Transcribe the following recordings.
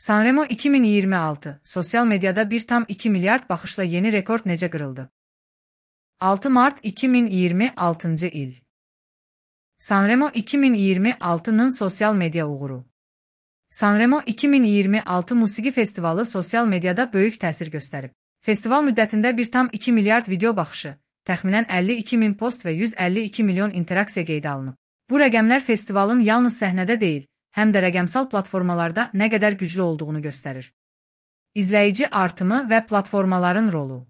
Sanremo 2026, sosial medyada 1,2 milyard baxışla yeni rekord necə qırıldı? 6 mart 2026-cı il. Sanremo 2026-nın sosial media uğuru. Sanremo 2026 musiqi festivalı sosial medyada böyük təsir göstərib. Festival müddətində 1,2 milyard video baxışı, təxminən 52 min post və 152 milyon interaksiya qeydə alınıb. Bu rəqəmlər festivalın yalnız səhnədə deyil, həm də rəqəmsal platformalarda nə qədər güclü olduğunu göstərir. İzləyici artımı və platformaların rolu.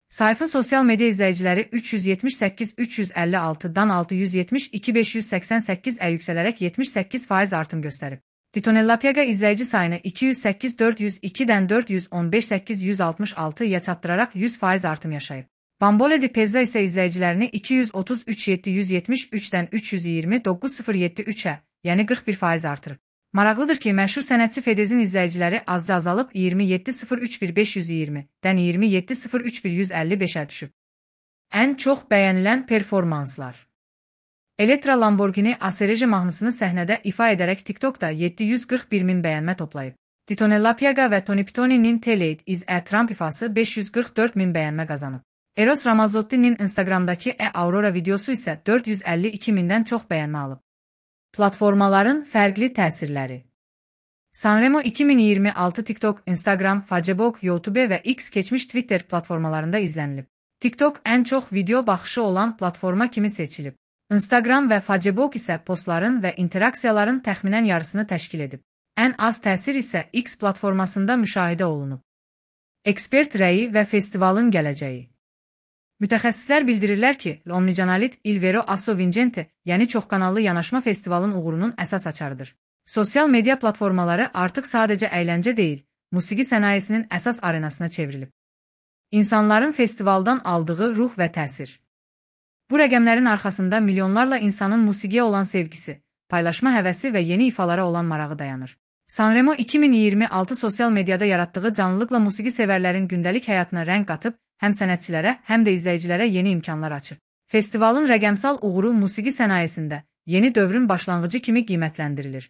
Sayfın sosial media izləyiciləri 378-356-dan 672-588-ə yüksələrək 78% artım göstərib. Titonella Piaga izləyici sayını 208-402-dən 415-866-ya çatdıraraq 100% artım yaşayıb. Bambole di Pezza isə izləyicilərini 233-773-dən 329-073-ə, yəni 41% artırıb. Maraqlıdır ki, məşhur sənətçi Fedezin izləyiciləri azca azalıb 27-031-520-dən 27-031-155-ə düşüb. Ən çox bəyənilən performanslar. Elektra Lamborghini Acereje mahnısını səhnədə ifa edərək TikTokda 741 min bəyənmə toplayıb. Titonella Piaga və Tony Pitoni'nin Tell Is a Trump ifası 544 min bəyənmə qazanıb. Eros Ramazotti'nin Instagramdakı Aurora videosu isə 452 mindən çox bəyənmə alıb. Platformaların fərqli təsirləri. Sanremo 2026 TikTok, Instagram, Facebook, YouTube və X keçmiş Twitter platformalarında izlənilib. TikTok ən çox video baxışı olan platforma kimi seçilib. Instagram və Facebook isə postların və interaksiyaların təxminən yarısını təşkil edib. Ən az təsir isə X platformasında müşahidə olunub. Ekspert rəyi və festivalın gələcəyi. Mütəxəssislər bildirirlər ki, L'Omnicanalite Il Vero Asso Vincente, yəni çoxkanallı yanaşma festivalın uğurunun əsas açarıdır. Sosial media platformaları artıq sadəcə əyləncə deyil, musiqi sənayesinin əsas arenasına çevrilib. İnsanların festivaldan aldığı ruh və təsir. Bu rəqəmlərin arxasında milyonlarla insanın musiqiyə olan sevgisi, paylaşma həvəsi və yeni ifalara olan marağı dayanır. Sanremo 2026 sosial mediada yaratdığı canlılıqla musiqi sevərlərin gündəlik həyatına rəng qatıb, həm sənətçilərə, həm də izləyicilərə yeni imkanlar açıb. Festivalın rəqəmsal uğuru musiqi sənayesində yeni dövrün başlanğıcı kimi qiymətləndirilir.